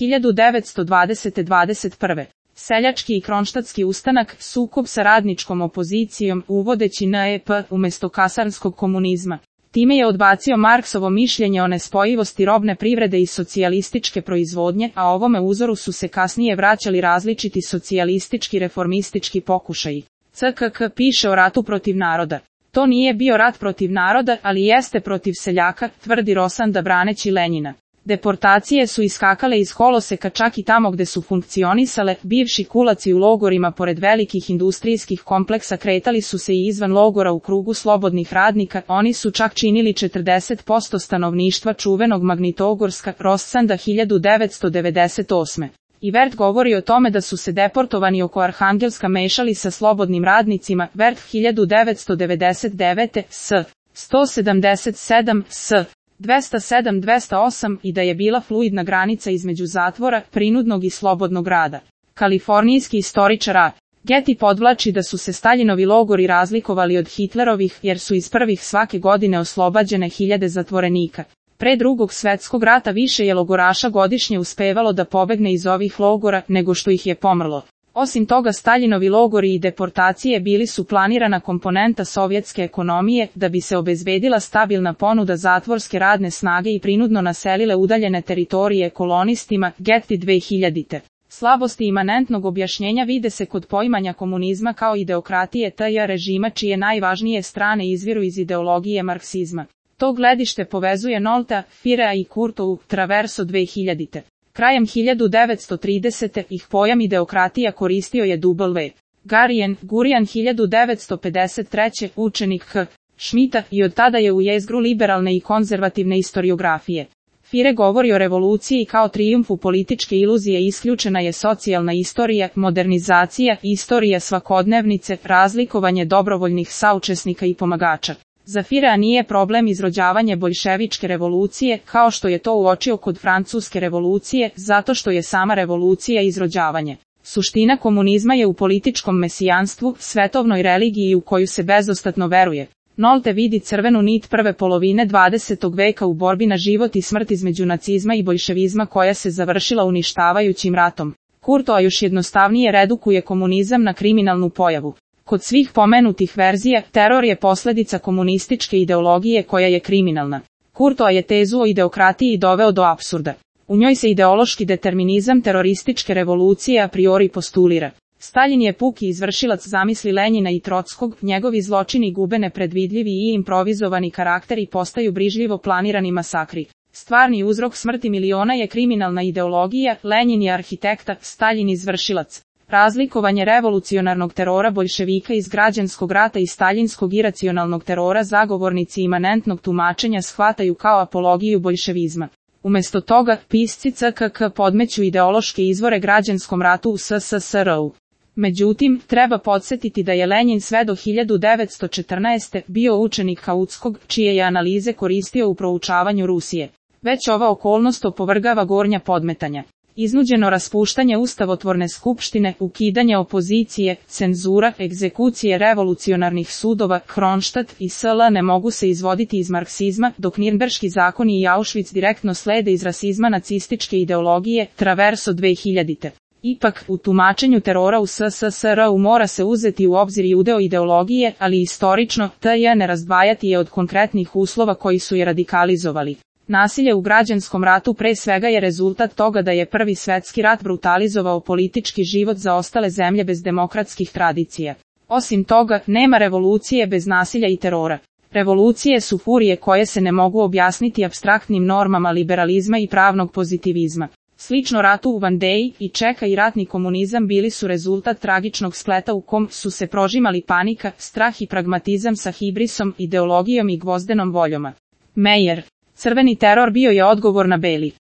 1920-21. Seljački i kronštatski ustanak, sukob sa radničkom opozicijom, uvodeći NEP umjesto kasarnskog komunizma. Time je odbacio Marksovo mišljenje o nespojivosti robne privrede i socijalističke proizvodnje, a ovome uzoru su se kasnije vraćali različiti socijalistički reformistički pokušaji. CKK piše o ratu protiv naroda. To nije bio rat protiv naroda, ali jeste protiv seljaka, tvrdi Rosanda braneći Lenjina. Deportacije su iskakale iz koloseka čak i tamo gde su funkcionisale, bivši kulaci u logorima pored velikih industrijskih kompleksa kretali su se i izvan logora u krugu slobodnih radnika, oni su čak činili 40% stanovništva čuvenog Magnitogorska, Rosanda 1998. I Vert govori o tome da su se deportovani oko Arhangelska mešali sa slobodnim radnicima, Vert 1999. s. 177 s. 207-208 i da je bila fluidna granica između zatvora, prinudnog i slobodnog rada. Kalifornijski istoričar A. Getty podvlači da su se Staljinovi logori razlikovali od Hitlerovih jer su iz prvih svake godine oslobađene hiljade zatvorenika. Pre Drugog svjetskog rata više je logoraša godišnje uspevalo da pobegne iz ovih logora nego što ih je pomrlo. Osim toga Staljinovi logori i deportacije bili su planirana komponenta sovjetske ekonomije da bi se obezbedila stabilna ponuda zatvorske radne snage i prinudno naselile udaljene teritorije kolonistima, Getty 2000. Slabosti imanentnog objašnjenja vide se kod poimanja komunizma kao ideokratije TJ režima čije najvažnije strane izviru iz ideologije marksizma. To gledište povezuje Nolta, Firea i Kurtovu, Traverso 2000. Krajem 1930. ih pojam ideokratija koristio je W. Gurian 1953. učenik H. Schmidta i od tada je u jezgru liberalne i konzervativne istoriografije. Fire govori o revoluciji kao trijumfu političke iluzije, isključena je socijalna istorija, modernizacija, istorija svakodnevnice, razlikovanje dobrovoljnih saučesnika i pomagača. Za Firea nije problem izrođavanje boljševičke revolucije, kao što je to uočio kod francuske revolucije, zato što je sama revolucija izrođavanje. Suština komunizma je u političkom mesijanstvu, svetovnoj religiji u koju se bezostatno veruje. Nolte vidi crvenu nit prve polovine 20. veka u borbi na život i smrt između nacizma i boljševizma koja se završila uništavajućim ratom. Kurtoa još jednostavnije redukuje komunizam na kriminalnu pojavu. Kod svih pomenutih verzija, teror je posljedica komunističke ideologije koja je kriminalna. Kurtoa je tezu o ideokratiji doveo do apsurda. U njoj se ideološki determinizam terorističke revolucije a priori postulira. Staljin je puki izvršilac zamisli Lenjina i Trotskog, njegovi zločini gube nepredvidljivi i improvizovani karakter i postaju brižljivo planirani masakri. Stvarni uzrok smrti miliona je kriminalna ideologija, Lenjin je arhitekta, Staljin izvršilac. Razlikovanje revolucionarnog terora boljševika iz građanskog rata i staljinskog iracionalnog terora zagovornici imanentnog tumačenja shvataju kao apologiju boljševizma. Umjesto toga, pisci CKK podmeću ideološke izvore građanskom ratu u SSSR-u. Međutim, treba podsjetiti da je Lenjin sve do 1914. bio učenik Kautskog, čije je analize koristio u proučavanju Rusije. Već ova okolnost opovrgava gornja podmetanja. Iznuđeno raspuštanje ustavotvorne skupštine, ukidanje opozicije, cenzura, egzekucije revolucionarnih sudova, Kronštat i SL ne mogu se izvoditi iz marksizma, dok Nirnberški zakoni i Auschwitz direktno slede iz rasizma nacističke ideologije, Traverso 2000. Ipak, u tumačenju terora u SSSR-u mora se uzeti u obzir i udeo ideologije, ali istorično, TJ ne razdvajati je od konkretnih uslova koji su je radikalizovali. Nasilje u građanskom ratu pre svega je rezultat toga da je Prvi svjetski rat brutalizovao politički život za ostale zemlje bez demokratskih tradicija. Osim toga, nema revolucije bez nasilja i terora. Revolucije su furije koje se ne mogu objasniti apstraktnim normama liberalizma i pravnog pozitivizma. Slično ratu u Vandeji i Čeka i ratni komunizam bili su rezultat tragičnog spleta u kom su se prožimali panika, strah i pragmatizam sa hibrisom, ideologijom i gvozdenom voljom. Meyer. Crveni teror bio je odgovor na beli.